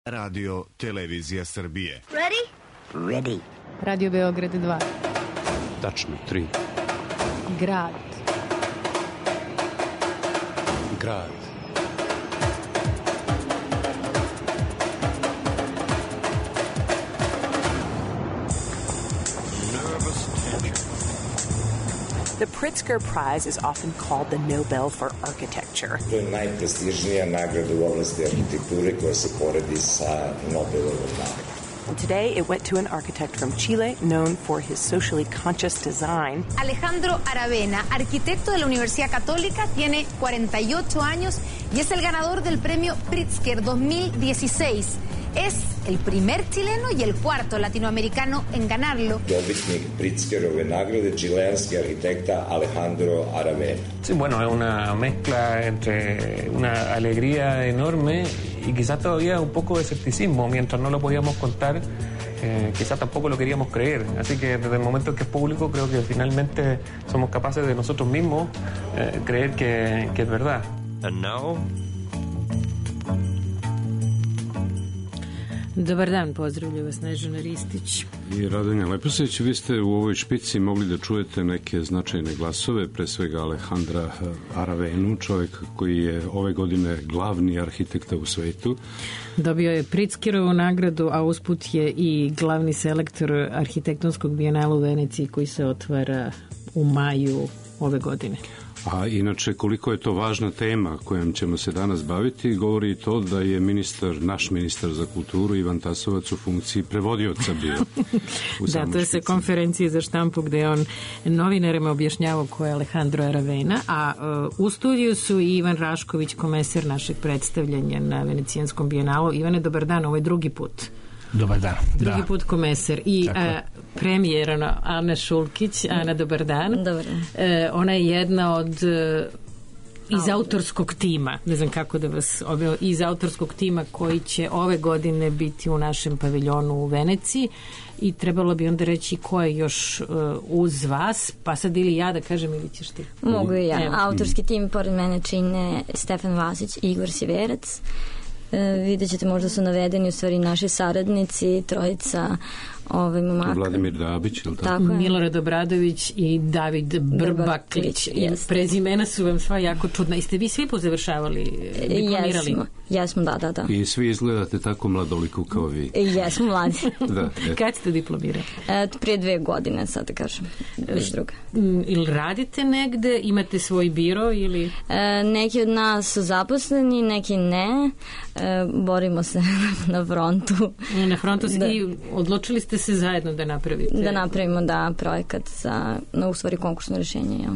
Radio Televizija Srbije. Ready? Ready. Radio Beograd 2. Tačno, 3. Grad. Grad. The Pritzker Prize is often called the Nobel for Architecture. To je najprestižnija nagrada u oblasti arhitekture koja se poredi sa Nobelovom nagradom. Today, it went to an architect from Chile known for his socially conscious design. Alejandro Aravena, arquitecto de la Universidad Católica, tiene 48 años y es el ganador del premio Pritzker 2016. Es el primer chileno y el cuarto latinoamericano en ganarlo. Dobitnik Pritzkerove nagrade, chilenski arquitecta Alejandro Aravena. Sí, bueno, es una mezcla entre una alegría enorme y quizás todavía un poco de escepticismo. Mientras no lo podíamos contar, quizás tampoco lo queríamos creer. Así que desde el momento en que es público, creo que finalmente somos capaces de nosotros mismos creer que es verdad. And now... Dobar dan, pozdravlja vas Snežana Ristić. I Radonja Leposić, vi ste u ovoj špici mogli da čujete neke značajne glasove, pre svega Alejandra Aravenu, čovjek koji je ove godine glavni arhitekta u svetu. Dobio je Pritzkerovu nagradu, a usput je i glavni selektor arhitektonskog bijenala u Veneciji koji se otvara u maju ove godine. A inače, koliko je to važna tema kojom ćemo se danas baviti, govori to da je naš ministar za kulturu Ivan Tasovac u funkciji prevodioca bio. Da, to je sa konferencije za štampu gde on novinarima objašnjavao ko je Alejandro Aravena, a u studiju su i Ivan Rašković, komesar našeg predstavljanja na Venecijanskom bijenalu. Ivane, dobar dan, ovo je drugi put. Dobar dan. Drugi put komesar i premijerana Ana Šulkić. Ana, dobar dan. Dobar dan. Ona je jedna od iz autorskog tima, ne znam kako da vas iz autorskog tima koji će ove godine biti u našem paviljonu u Veneciji i trebalo bi onda reći ko je još uz vas, pa sad ili ja da kažem ili ćeš ti? Mogu i ja. Autorski tim pored mene čine Stefan Vasić i Igor Siverac. Vidjet ćete, možda su navedeni u stvari naši saradnici, trojica momaka. Vladimir Dabić, ili tako? Milorad Obradović i David Brbaklić. Prezimena su vam sva jako čudna. I ste vi svi pozavršavali, diplomirali? Jesmo, da. I svi izgledate tako mladoliku kao vi. Jesmo mladi. Kad ste diplomirali? Prije 2 godine, sad da kažem. Već druga. Ili radite negde? Imate svoj biro? Ili? Neki od nas su zaposleni, neki ne. Borimo se na frontu. Na frontu i odlučili ste se zajedno da napravite? Da napravimo, projekat u stvari konkursno rješenje, jel?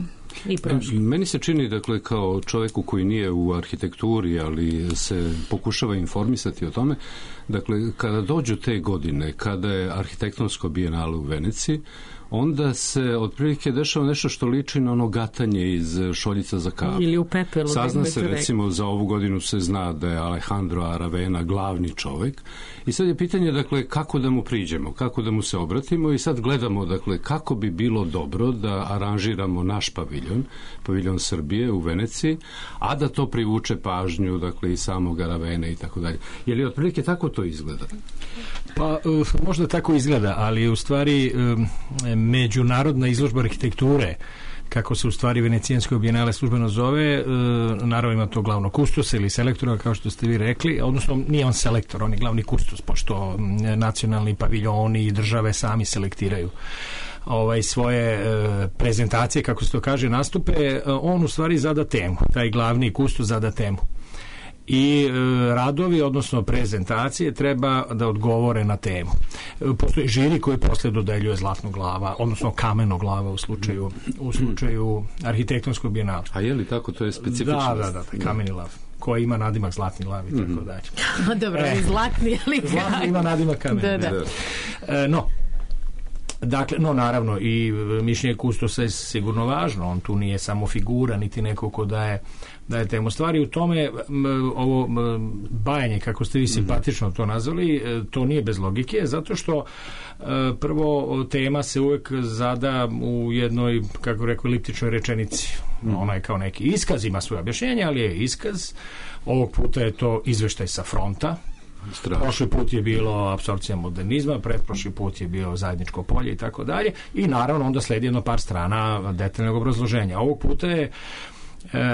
Meni se čini, dakle, kao čovjeku koji nije u arhitekturi, ali se pokušava informisati o tome, dakle, kada dođu te godine, kada je arhitektonsko bijenale u Veneciji, onda se otprilike dešava nešto što liči na ono gatanje iz šoljica za kavu. Ili u pepelu. Sazna se, recimo, za ovu godinu se zna da je Alejandro Aravena glavni čovjek i sad je pitanje, dakle, kako da mu priđemo, kako da mu se obratimo i sad gledamo, dakle, kako bi bilo dobro da aranžiramo naš paviljon Srbije u Veneciji, a da to privuče pažnju, dakle, i samog Aravena i tako dalje. Je li otprilike tako to izgleda? Pa, možda tako izgleda, ali u stvari međunarodna izložba arhitekture, kako se u stvari Venecijansko bijenale službeno zove, naravno ima to glavnog kustosa ili selektora, kao što ste vi rekli, odnosno nije on selektor, on je glavni kustos, pošto nacionalni paviljoni i države sami selektiraju svoje prezentacije, kako se to kaže, nastupe, on u stvari zada temu, taj glavni kustos zada temu. I radovi, odnosno prezentacije, treba da odgovore na temu. Postoji žiri koji posle dodeljuje zlatnu glava, odnosno kamenu glava u slučaju arhitektonskog bijenala. A je li tako, to je specifično? Da, kameni lav, koji ima nadimak zlatni lav i tako dalje. Dobro, zlatni, ali zlatni ima nadimak kameni. Dakle, naravno, i mišljenje kustosa je sigurno važno, on tu nije samo figura, niti neko ko daje temu. Stvari u tome, ovo bajanje, kako ste vi simpatično to nazvali, to nije bez logike, zato što prvo tema se uvek zada u jednoj, kako rekao, eliptičnoj rečenici. Ona je kao neki iskaz, ima svoje objašnjenje, ali je iskaz. Ovog puta je to izveštaj sa fronta, Prošli put je bilo apsorpcija modernizma, pretprošli put je bio zajedničko polje i tako dalje. I naravno onda sledi jedno par strana detaljnog obrazloženja. Ovog puta je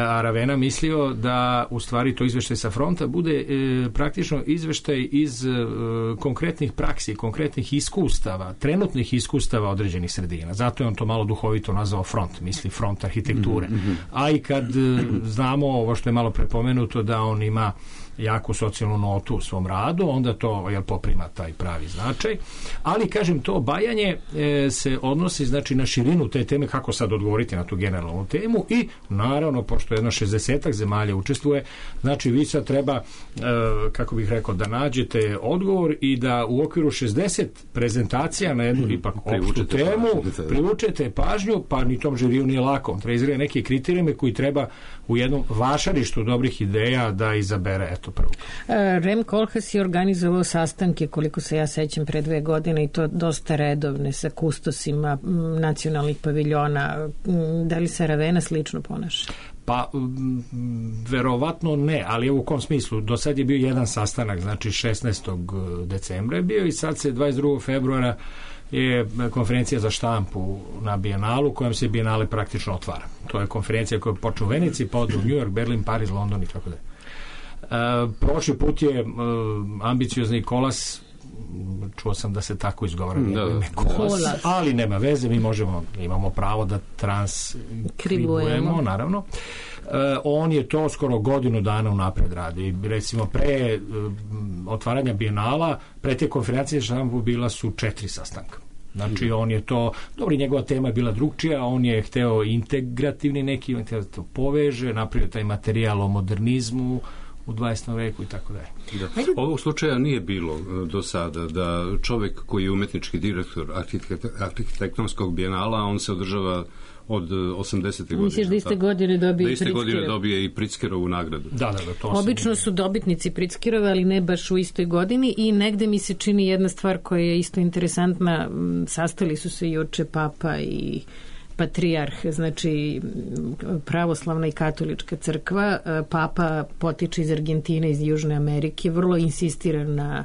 Aravena mislio da u stvari to izveštaj sa fronta bude praktično izveštaj iz konkretnih praksi, konkretnih iskustava, trenutnih iskustava određenih sredina. Zato je on to malo duhovito nazvao front, misli front arhitekture. A i kad znamo ovo što je malo prepomenuto da on ima jaku socijalnu notu u svom radu, onda to poprima taj pravi značaj. Ali, kažem, to bajanje se odnosi znači na širinu te teme, kako sad odgovoriti na tu generalnu temu i naravno, pošto jedno 60-ak zemalja učestvuje, znači vi sad treba, kako bih rekao, da nađete odgovor i da u okviru 60 prezentacija na jednu ipak opštu temu privučete pažnju, pa ni tom žiriju nije lako. Treba izgleda neke kriterijume koji treba u jednom vašarištu dobrih ideja da izabere, eto, prvo. Rem Koolhaas je organizovao sastanke, koliko se ja sećam, pre 2 godine i to dosta redovne sa kustosima nacionalnih paviljona. Da li se Aravena slično ponaša? Pa, verovatno ne, ali u kom smislu? Do sad je bio jedan sastanak, znači 16. decembra je bio i sad se 22. februara je konferencija za štampu na Bijenalu, kojom se Bijenale praktično otvara. To je konferencija koja počne u Veneciji, pa od New York, Berlin, Pariz, London i tako dalje. Prošli put je ambiciozni Kolas, čuo sam da se tako izgovara, Kolas, ali nema veze, mi imamo pravo da transkribujemo, naravno. On je to skoro godinu dana unapred radi. Recimo, pre otvaranja Bijenala, pre te konferencije štampu bila su 4 sastanka. Znači, on je to, dobro, njegova tema je bila drugčija, on je hteo integrativni neki, on hteo da to poveže, napravio taj materijal o modernizmu u 20. veku i tako dalje. Ovog slučaja nije bilo do sada da čovek koji je umetnički direktor arhitektonskog bijenala, on se održava od 80. godine. Misliš da iste godine dobije i Pritzkerovu nagradu? Da, to obično su dobitnici Pritzkerove, ali ne baš u istoj godini i negde mi se čini jedna stvar koja je isto interesantna. Sastali su se juče Papa i patrijarh, znači pravoslavna i katolička crkva. Papa potiče iz Argentine, iz Južne Amerike, vrlo insistira na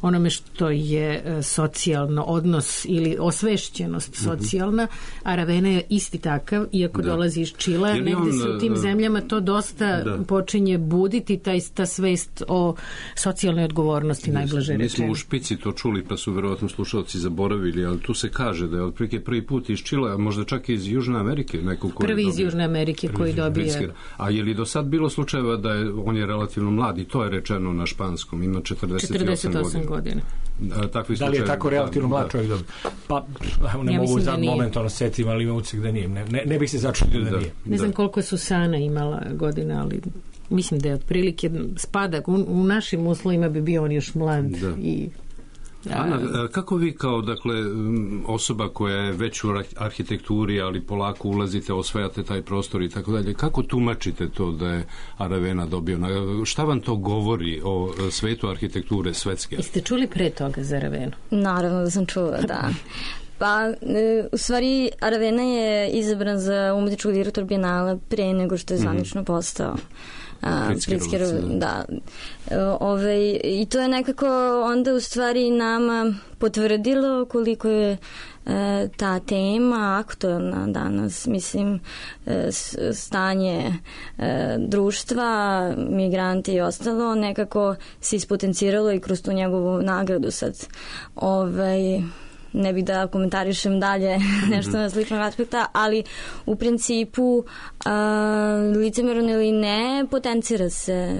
onome što je socijalno odnos ili osvešćenost socijalna. Aravena je isti takav, iako dolazi iz Čila. Negde se u tim zemljama to dosta počinje buditi, ta svest o socijalnoj odgovornosti, najblaže rečeno. Mi smo u špici to čuli, pa su verovatno slušalci zaboravili, ali tu se kaže da je otprilike prvi put iz Čila, a možda čak i iz Južne Amerike. Prvi iz Južne Amerike koji dobije. A je li do sad bilo slučajeva da on je relativno mlad i to je rečeno na španskom, ima 48 godina. Da li je tako relativno mlad čovjek dobio? Pa, ne mogu za momentalno setim, ali imam utisak da nije. Ne bih se začudio da nije. Ne znam koliko je Susana imala godina, ali mislim da je otprilike spada. U našim uslovima bi bio on još mlad i... Ana, kako vi kao, dakle, osoba koja je već u arhitekturi, ali polako ulazite, osvajate taj prostor i tako dalje, kako tumačite to da je Aravena dobio? Šta vam to govori o svetu arhitekture svetske? Jeste čuli pre toga za Aravenu? Naravno da sam čula, da. Pa, u stvari, Aravena je izabran za umetničkog direktora Bijenala pre nego što je zvanično postao Pritzkerov, da. I to je nekako onda u stvari nama potvrdilo koliko je ta tema aktualna danas, mislim, stanje društva, migranti i ostalo, nekako se ispotenciralo i kroz tu njegovu nagradu sad. Ne bih da komentarišem dalje nešto na sličnog aspekta, ali u principu licemerno ili ne, potencira se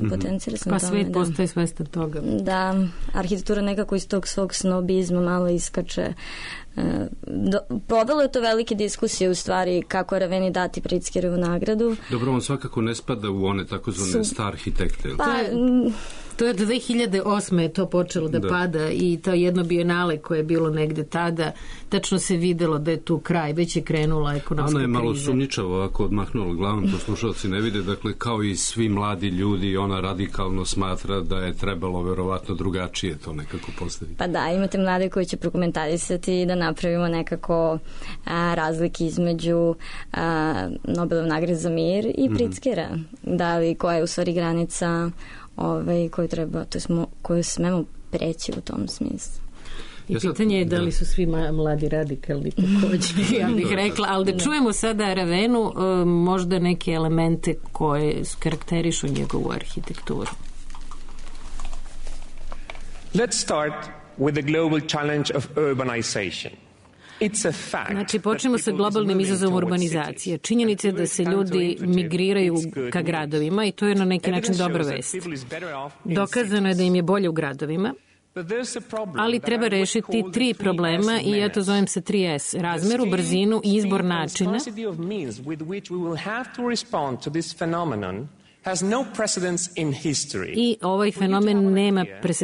pa svet postaje svestan toga. Da, arhitektura nekako iz tog svog snobizma malo iskače. Povelo je to velike diskusije u stvari kako Araveni dati Pritzkerovu nagradu. Dobro, on svakako ne spada u one takozvane star arhitekte. To je 2008. je to počelo da pada i to jedno bijenale koje je bilo negde tada, tačno se videlo da je tu kraj, već je krenula ekonomska kriza. Ana je malo sumnjičavo ako odmahnula glavom, to slušalci ne vide, dakle kao i svi mladi ljudi, ona radikalno smatra da je trebalo verovatno drugačije to nekako postaviti. Pa da, imate mlade koji će prokomentarisati da napravimo nekako razlike između Nobelove nagrade za mir i Pritzkera. Da li koja je u stvari granica koju smemo preći u tom smislu. I pitanje je da li su svi mladi radikalni takođe, ja bih rekla, ali da čujemo sada Aravenu, možda neke elemente koje karakterišu njegovu arhitekturu. Let's start with the global challenge of urbanization. Znači, počnemo sa globalnim izazovom urbanizacije. Činjenica je da se ljudi migriraju ka gradovima i to je na neki način dobra vest. Dokazano je da im je bolje u gradovima, ali treba rešiti 3 problema i ja to zovem sa 3S. Razmeru, brzinu i izbor načina. I ovaj fenomen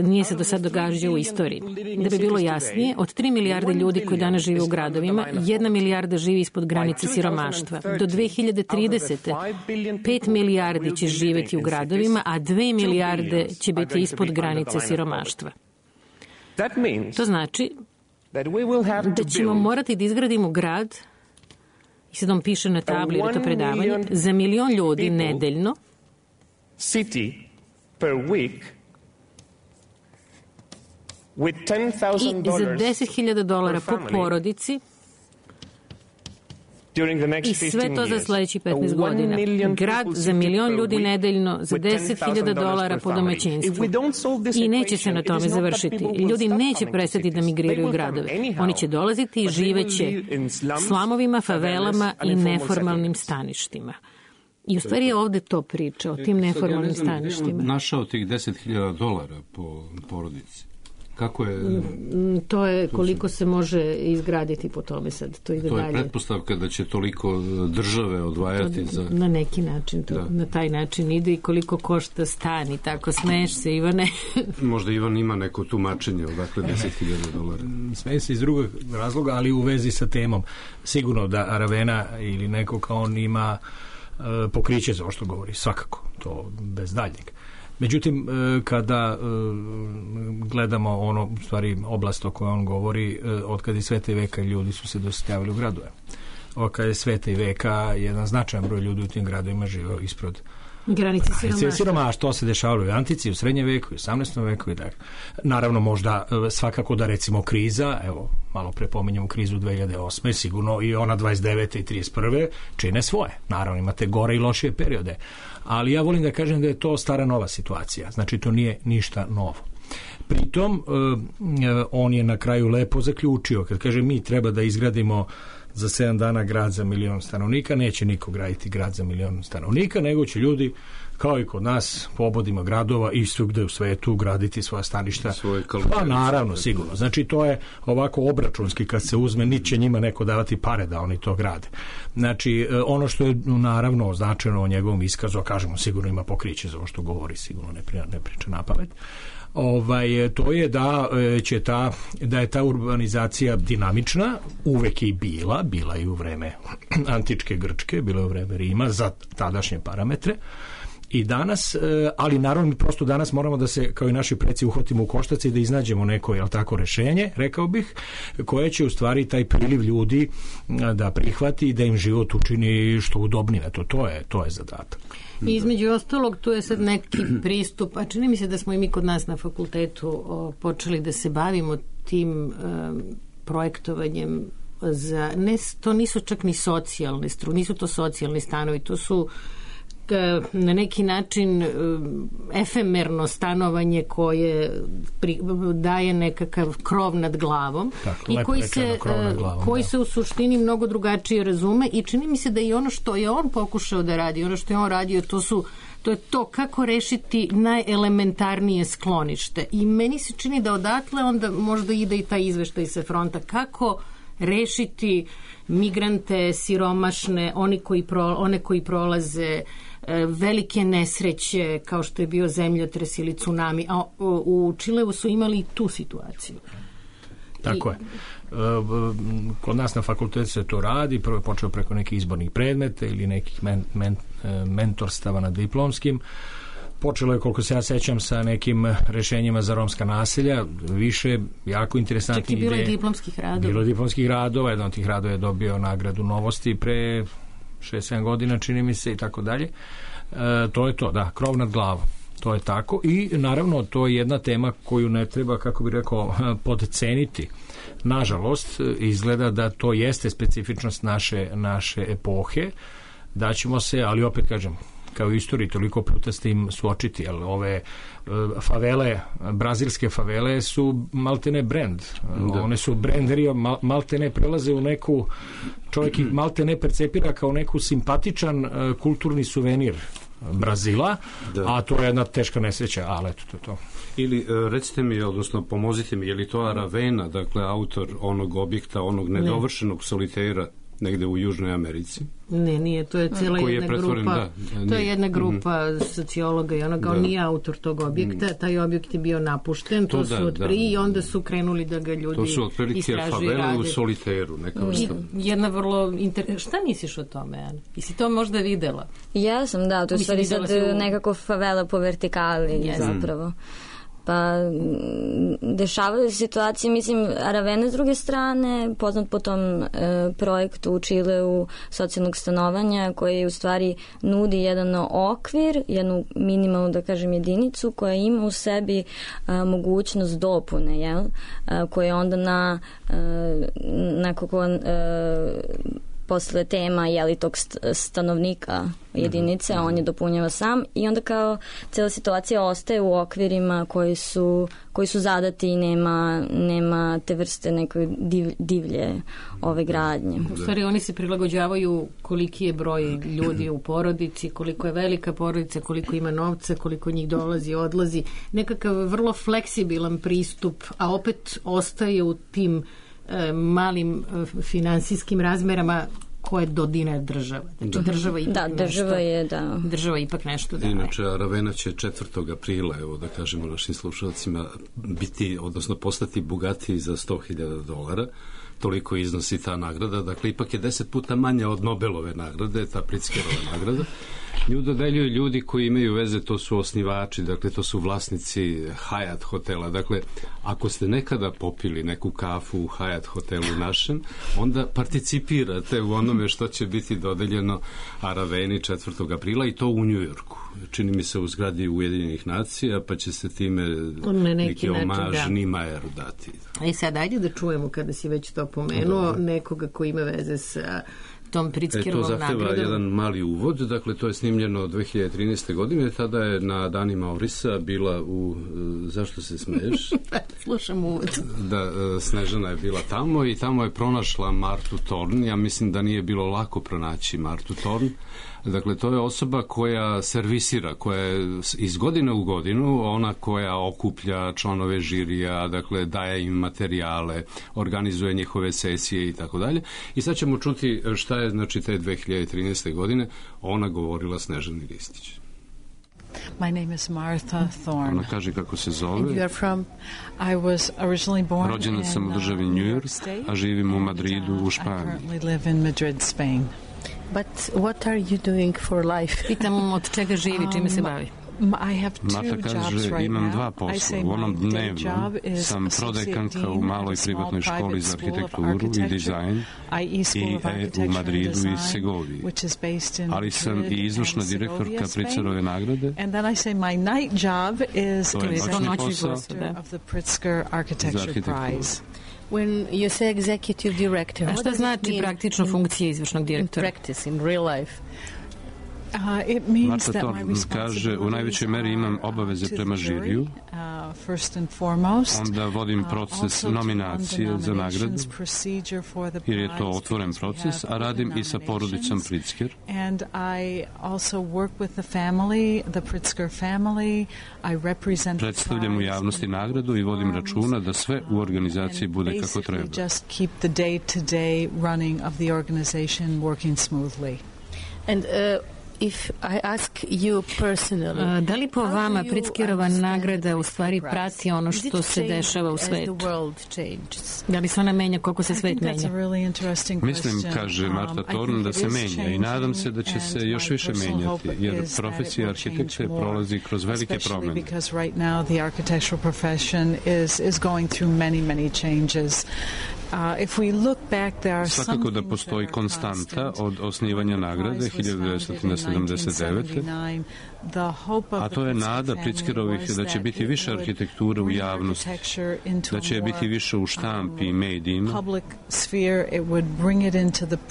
nije se do sad događao u istoriji. Da bi bilo jasnije, od 3 milijarde ljudi koji danas žive u gradovima, 1 milijarda živi ispod granice siromaštva. Do 2030. 5 milijardi će živeti u gradovima, a 2 milijarde će biti ispod granice siromaštva. To znači da ćemo morati da izgradimo grad, i sad on piše na tabli, jer je to predavanje, za 1 milion ljudi nedeljno, city per week with $10,000 i za $10,000 po porodici i sve to za sledeći 15 godina. Grad za 1 milion ljudi nedeljno za $10,000 po domaćinstvu. I neće se na tome završiti. Ljudi neće prestati da migriraju u gradove. Oni će dolaziti i živeće slamovima, favelama i neformalnim staništima. I u stvari je ovde to priča o tim neformalnim staništima. Našao tih $10,000 po porodici. Kako je? To je koliko se može izgraditi po tome sad. To ide dalje. To je pretpostavka da će toliko države odvajati za... Na neki način, na taj način ide i koliko košta stan i tako. Smeješ se, Ivane? Možda Ivan ima neko tumačenje, odakle $10,000. Smeje se iz drugog razloga, ali u vezi sa temom. Sigurno da Aravena ili neko kao on ima pokriće za ovo što govori, svakako, to bez daljnjeg. Međutim, kada gledamo ono, u stvari, oblast o kojoj on govori, od kada je sveta i veka ljudi su se doseljavali u gradove. Od kada je sveta i veka, jedan značajan broj ljudi u tim gradovima živeo ispod granice siromaštva. To se dešavalo u antici, u srednjem veku, u 18. veku i tako. Naravno, možda svakako da recimo kriza, evo, malo pre pominjamo krizu 2008. Sigurno i ona 29. i 31. čine svoje. Naravno, imate gore i lošije periode. Ali ja volim da kažem da je to stara nova situacija. Znači, to nije ništa novo. Pritom, on je na kraju lepo zaključio. Kad kaže mi treba da izgradimo za 7 dana grad za 1 milion stanovnika, neće niko graditi grad za 1 milion stanovnika, nego će ljudi, kao i kod nas, po obodima gradova i svugde u svetu graditi svoja staništa. Pa naravno, sigurno. Znači, to je ovako obračunski kad se uzme, niti će njima neko davati pare da oni to grade. Znači, ono što je naravno označeno o njegovom iskazu, a kažemo, sigurno ima pokriće za ovo što govori, sigurno ne priča napamet. To je da je ta urbanizacija dinamična, uvek je i bila i u vreme antičke Grčke, bila je u vreme Rima za tadašnje parametre. I danas, ali naravno mi prosto danas moramo da se, kao i naši preci, uhvatimo u koštac i da iznađemo neko, jel tako, rešenje, rekao bih, koje će u stvari taj priliv ljudi da prihvati i da im život učini što udobnije. To je zadatak. I između ostalog, tu je sad neki pristup, a čini mi se da smo i mi kod nas na fakultetu počeli da se bavimo tim projektovanjem to nisu čak ni socijalne nisu to socijalni stanovi, to su na neki način efemerno stanovanje koje daje nekakav krov nad glavom i koji se u suštini mnogo drugačije razume i čini mi se da i ono što je on pokušao da radi, ono što je on radio, to je to kako rešiti najelementarnije sklonište. I meni se čini da odatle onda možda ide i taj izveštaj sa fronta. Kako rešiti migrante, siromašne, one koji prolaze velike nesreće kao što je bio zemljotres ili tsunami, a u Čileu su imali i tu situaciju. Tako je. Kod nas na fakultetu se to radi, prvo je počeo preko nekih izbornih predmeta ili nekih mentorstava na diplomskim. Počelo je, koliko se ja sećam, sa nekim rešenjima za romska naselja, više jako interesantnih ideje. Čak i bilo je diplomskih radova. Bilo je diplomskih radova, jedan od tih radova je dobio nagradu Novosti pre 6-7 godina, čini mi se, i tako dalje. To je to, da, krov nad glavom. To je tako i naravno to je jedna tema koju ne treba, kako bih rekao, podceniti. Nažalost, izgleda da to jeste specifičnost naše epohe, da ćemo se, ali opet kažem, kao u istoriji toliko puta s tim suočiti, jer ove favele, brazilske favele su maltene brand. One su branderi, maltene prelaze u neku, čovjek ih maltene percepira kao neku simpatičan kulturni suvenir Brazila, a to je jedna teška nesreća, ali eto, to je to. Ili recite mi, odnosno pomozite mi, je li to Aravena, dakle autor onog objekta, onog nedovršenog solitera negde u Južnoj Americi? Ne, nije, to je cijela jedna grupa. To je jedna grupa sociologa i on nije autor tog objekta, taj objekt je bio napušten, to su od prije i onda su krenuli da ga ljudi istražuju. To su otprilike favele u soliteru, neka vrsta. Jedna vrlo šta misliš o tome, Ana? Jesi to možda videla? Ja sam, da, to je stvari sad nekako favela po vertikali zapravo. Pa dešavaju se situacije, mislim, Aravena s druge strane, poznat po tom projektu u Čileu socijalnog stanovanja, koji u stvari nudi jedan okvir, jednu minimalnu, da kažem, jedinicu koja ima u sebi mogućnost dopune, jel? Koje onda nakon posle tema tog stanovnika jedinice, on je dopunjava sam i onda kao cela situacija ostaje u okvirima koji su zadati i nema te vrste neke divlje ove gradnje. U stvari oni se prilagođavaju koliki je broj ljudi u porodici, koliko je velika porodica, koliko ima novca, koliko njih dolazi, odlazi. Nekakav vrlo fleksibilan pristup, a opet ostaje u tim malim finansijskim razmerama koje dodine država. Znači država ipak država ipak nešto daje. Inače, Aravena će 4. aprila, evo da kažemo našim slušalcima, biti, odnosno postati bogatiji za $100.000. Toliko iznosi ta nagrada. Dakle, ipak je 10 puta manja od Nobelove nagrade, ta Pritzkerova nagrada. Nju dodeljuju ljudi koji imaju veze, to su osnivači, dakle to su vlasnici Hyatt hotela. Dakle, ako ste nekada popili neku kafu u Hyatt hotelu našem, onda participirate u onome što će biti dodeljeno Araveni 4. aprila i to u Njujorku. Čini mi se u zgradi Ujedinjenih nacija, pa će se time neki omaž Nimajeru dati. I sad ajde da čujemo, kada si već to pomenuo, nekoga ko ima veze sa tom Pritzkerovom nagradom. To zahteva jedan mali uvod, dakle to je snimljeno 2013. godine, tada je na danima Orisa bila u... Zašto se smeješ? Slušam uvod. Da, Snežana je bila tamo i tamo je pronašla Martu Thorn. Ja mislim da nije bilo lako pronaći Martu Thorn. Dakle, to je osoba koja servisira, koja je iz godine u godinu ona koja okuplja članove žirija, dakle daje im materijale, organizuje njihove sesije i tako dalje. I sad ćemo čuti šta je, znači, te 2013. godine ona govorila Snežani Ristić. My name is Martha Thorn. Ona kaže kako se zove. And you are from... I was originally born Rođena sam u državi New York, a živim u Madridu u Španiji. I currently live in Madrid, Spain. But what are you doing for life? Pitam od čega živi, čime se bavi. Marta kaže, imam dva posla. U onom dnevnom sam prodekanka u maloj privatnoj školi za arhitekturu i dizajn u Madridu i Segoviji. Ali sam i izvršna direktorka Pritzkerove nagrade. To je noćni posao of the Pritzker Architecture Prize. When you say executive director, a šta znači praktično funkcija izvršnog direktora? Practice in real life. Marta Thorn kaže, u najvećoj meri imam obaveze prema žiriju, onda vodim proces nominacije za nagradu, jer je to otvoren proces, a radim i sa porodicom Pritzker. Predstavljam u javnosti nagradu i vodim računa da sve u organizaciji bude kako treba. And if I ask you personally, da li po vama Pritzkerova nagrada u stvari prati ono što se dešava u svetu? Da li se ona menja koliko se svet menja? Mislim, kaže Marta Thorn, da se menja i nadam se da će se još više menjati, jer profesija arhitekte prolazi kroz velike promene. Svakako da postoji konstanta od osnivanja nagrade 1979. A to je nada Pritzkerovih da će biti više arhitekture u javnosti, da će biti više u štampi i medijima,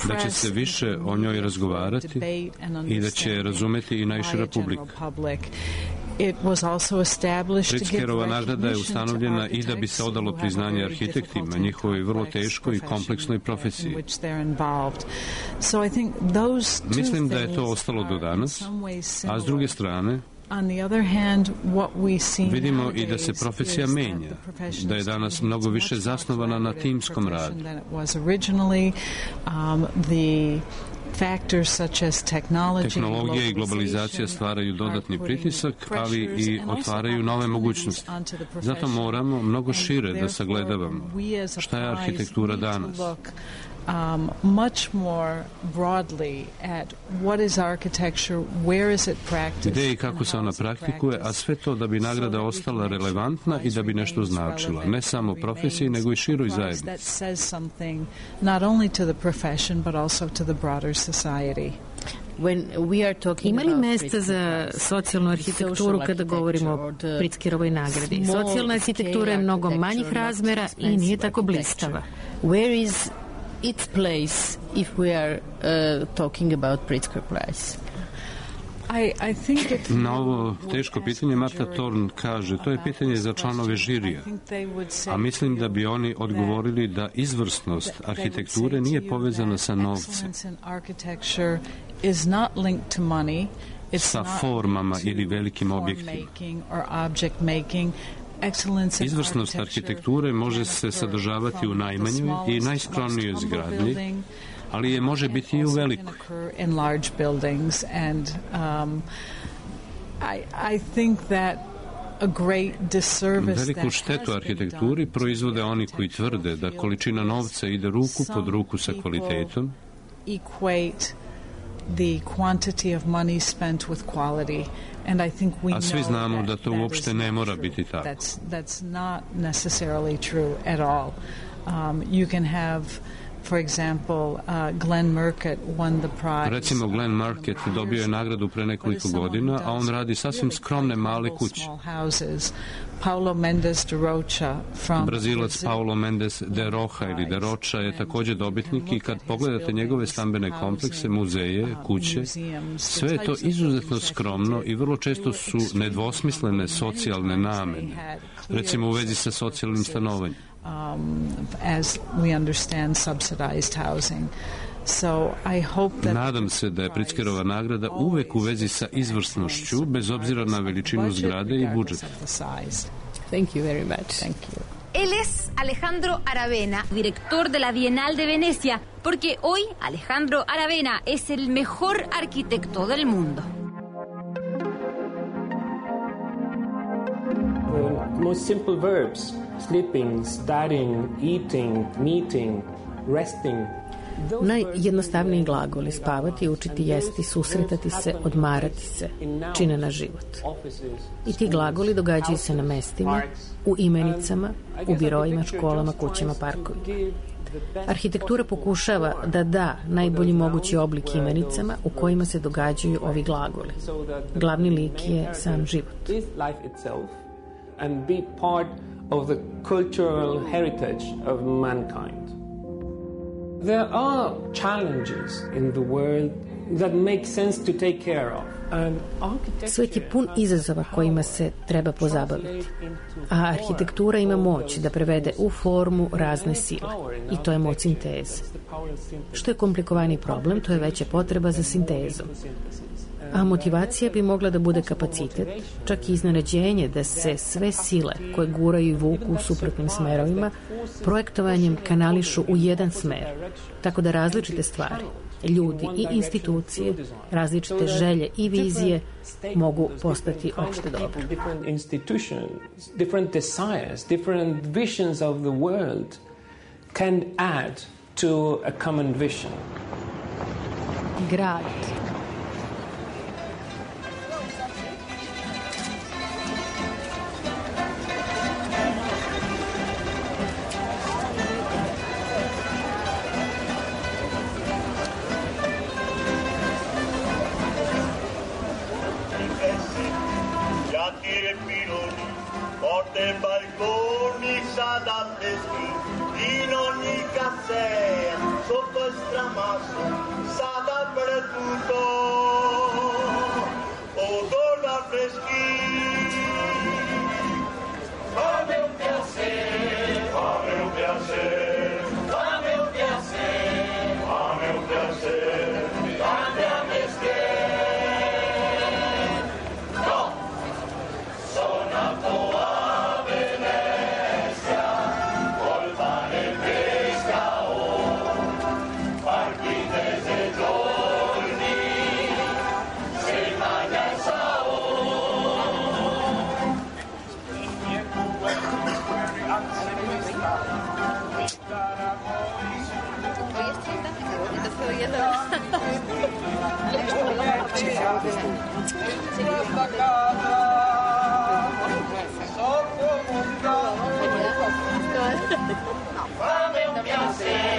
da će se više o njoj razgovarati i da će razumeti i najšira publika. Pritzkerova nagrada je ustanovljena i da bi se odalo priznanje arhitektima, njihovoj vrlo teškoj i kompleksnoj profesiji. Mislim da je to ostalo do danas, a s druge strane, vidimo i da se profesija menja, da je danas mnogo više zasnovana na timskom radu. Tehnologija i globalizacija stvaraju dodatni pritisak, ali i otvaraju nove mogućnosti. Zato moramo mnogo šire da sagledavamo šta je arhitektura danas. Gde i kako se ona praktikuje, a sve to da bi nagrada ostala relevantna i da bi nešto značila, ne samo profesiji, nego i široj zajednici. Ima li mesta za socijalnu arhitектuru kada govorimo o Pritzkerovoj nagradi? Socijalna arhitektura je mnogo manjih razmera i nije tako blistava. Where is its place if we are talking about Pritzker Prize? Na ovo teško pitanje Martha Thorn kaže, to je pitanje za članove žirija, a mislim da bi oni odgovorili da izvrsnost arhitekture nije povezana sa novcem, sa formama ili velikim objektima. Izvrsnost arhitekture može se sadržavati u najmanjoj i najskromnijoj zgradnji, ali je može biti i u velikoj. Veliku štetu arhitekturi proizvode oni koji tvrde da količina novca ide ruku pod ruku sa kvalitetom, a svi znamo da to uopšte ne mora biti tako. Recimo, Glenn Market dobio je nagradu pre nekoliko godina, a on radi sasvim skromne male kuće. Brazilac Paulo Mendes de Rocha ili de Rocha je također dobitnik i kad pogledate njegove stambene komplekse, muzeje, kuće, sve je to izuzetno skromno i vrlo često su nedvosmislene socijalne namene, recimo u vezi sa socijalnim stanovanjem. As we understand subsidized housing. Nadam se da je Pritzkerova nagrada uvek u vezi sa izvrsnošću, bez obzira na veličinu zgrade i budžet. Thank you very much. Thank you. Él es Alejandro Aravena, director de la Bienal de Venecia, porque hoy Alejandro Aravena es el mejor arquitecto del mundo. The most simple verbs, sleeping, studying, eating, meeting, resting. Najjednostavniji glagoli: spavati, učiti, jesti, susretati se, odmarati se, čine na život. I ti glagoli događaju se na mestima, u imenicama, u birojima, školama, kućama, parkovima. Arhitektura pokušava da da najbolji mogući oblik imenicama u kojima se događaju ovi glagoli. Glavni lik je sam život. And be part of the cultural heritage of mankind. There are challenges in the world that make sense to take care of. Svet je pun izazova kojima se treba pozabaviti, a arhitektura ima moć da prevede u formu razne sile, i to je moć sinteze. Što je komplikovaniji problem, to je veća potreba za sintezom. A motivacija bi mogla da bude kapacitet, čak i iznenađenje da se sve sile koje guraju i vuku u suprotnim smerovima projektovanjem kanališu u jedan smer, tako da različite stvari, ljudi i institucije, različite želje i vizije mogu postati opšte dobro. Different institutions, different desires, different visions of the world can add to a common vision. Grad. freschi in ogni cassera, sotto il stramasso, sa dappertutto, odor da freschi. Fammi un piacere, fammi un piacere, fammi un piacere, fammi un piacere, cambia mestiere. No, sono nato a Venezia, col pane e pesca, partite e giorni, se mangia il sao. Fammi un piacere,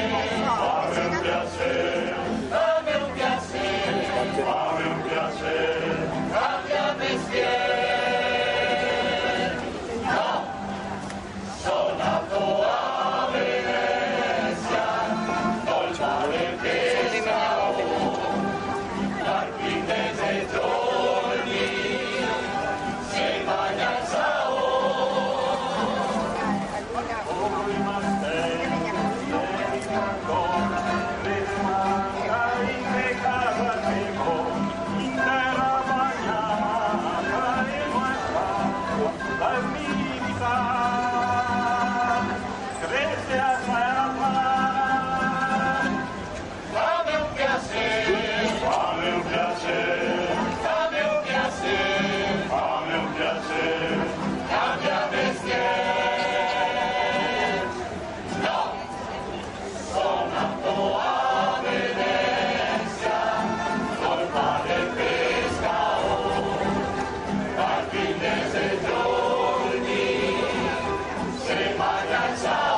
fammi un piacere, fammi un piacere, fammi un piacere, cambia mestiere. No, sono nato a Venezia, col pane e pesca, marchitese e giorni, se mangia il sao.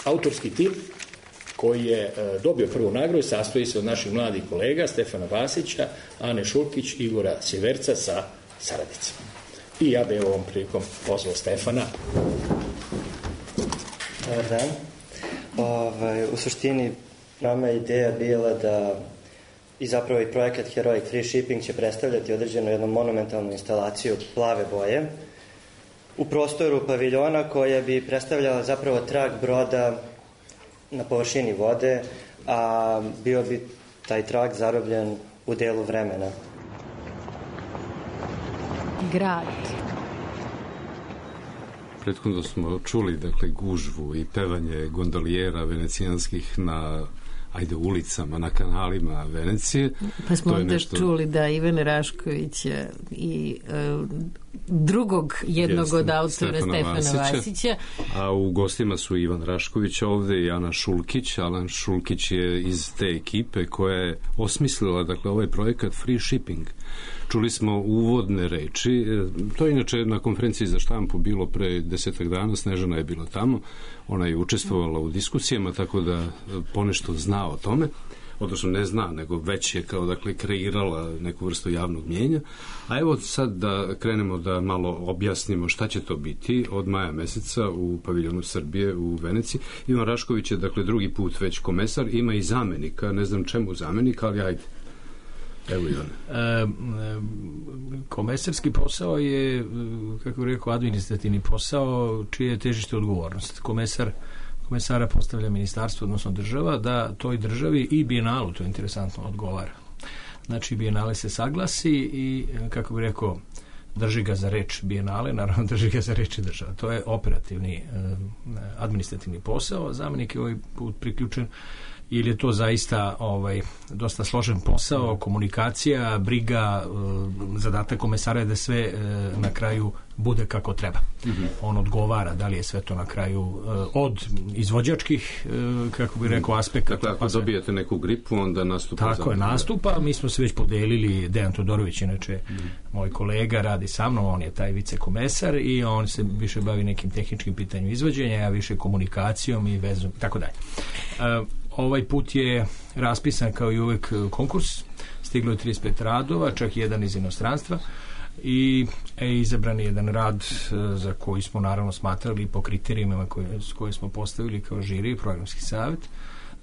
Autorski tim koji je dobio prvu nagradu sastoji se od naših mladih kolega Stefana Vasića, Ane Šulkić, Igora Sjeverca sa saradnicima. I ja bih ovom prilikom pozvao Stefana. Dobar dan. U suštini nama je ideja bila da i zapravo i projekat Heroic Free Shipping će predstavljati određenu jednu monumentalnu instalaciju plave boje u prostoru paviljona koja bi predstavljala zapravo trag broda na površini vode, a bio bi taj trag zarobljen u delu vremena. Grad. Prethodno smo čuli, dakle, gužvu i pevanje gondolijera venecijanskih na ulicama, na kanalima Venecije. Pa smo onda čuli da Ivan Rašković i drugog jednog od autora Stefana Vasića. A u gostima su Ivan Rašković ovde i Ana Šulkić. Alan Šulkić je iz te ekipe koja je osmislila, dakle, ovaj projekat Free Shipping. Čuli smo uvodne reči. To je inače na konferenciji za štampu bilo pre 10 dana. Snežana je bila tamo. Ona je učestvovala u diskusijama, tako da ponešto zna o tome. Odnosno ne zna, nego već je kao, dakle, kreirala neku vrstu javnog mnjenja. A evo sad da krenemo da malo objasnimo šta će to biti od maja meseca u paviljonu Srbije u Veneciji. Ivan Rašković je, dakle, drugi put već komesar, ima i zamenika, ne znam čemu zamenika, ali ajde. Evo Ivane. Komesarski posao je, kako bih rekao, administrativni posao čije je težište odgovornost. Komesara postavlja ministarstvo, odnosno država, da toj državi i Bijenalu, to je interesantno, odgovara. Znači, Bijenale se saglasi i, kako bih rekao, drži ga za reč Bijenale, naravno drži ga za reč država. To je operativni, administrativni posao. Zamenik je ovaj put priključen ili je to zaista dosta složen posao, komunikacija, briga, zadatak komesara je da sve na kraju bude kako treba. On odgovara da li je sve to na kraju od izvođačkih, kako bih rekao, aspekata. Dakle, ako dobijete neku gripu, onda nastupa. Tako je, nastupa. Mi smo se već podelili, Dejan Todorović, inače moj kolega, radi sa mnom, on je taj vicekomesar i on se više bavi nekim tehničkim pitanjem izvođenja, ja više komunikacijom i vezom, tako dalje. Ovaj put je raspisan kao i uvek konkurs, stiglo je 35 radova, čak i jedan iz inostranstva i izabran je jedan rad za koji smo naravno smatrali po kriterijima koje smo postavili kao žiri i programski savjet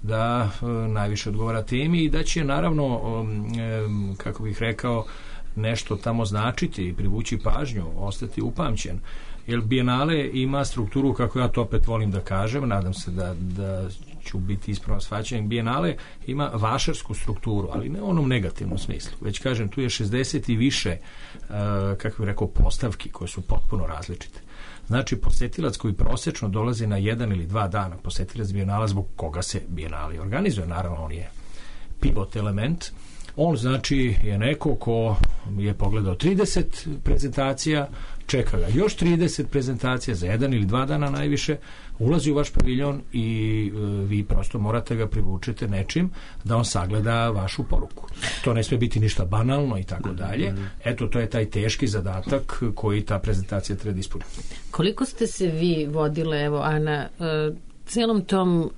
da najviše odgovara temi i da će naravno, kako bih rekao, nešto tamo značiti i privući pažnju, ostati upamćen. Jer Bienale ima strukturu, kako ja to opet volim da kažem, nadam se da ću biti ispravno shvaćen, Bienale ima vašarsku strukturu, ali ne u onom negativnom smislu. Već kažem, tu je 60 i više, kako bih rekao, postavki koje su potpuno različite. Znači, posetilac koji prosečno dolazi na 1 ili 2 dana, posetilac Bienala zbog koga se Bienale organizuje, naravno on je pivot element. On znači je neko ko je pogledao 30 prezentacija, čeka ga još 30 prezentacija za 1 ili 2 dana najviše, ulazi u vaš paviljon i vi prosto morate ga privučete nečim da on sagleda vašu poruku. To ne sme biti ništa banalno i tako dalje. Eto, to je taj teški zadatak koji ta prezentacija treba da ispuni. Koliko ste se vi vodile, evo, Ana, celom tom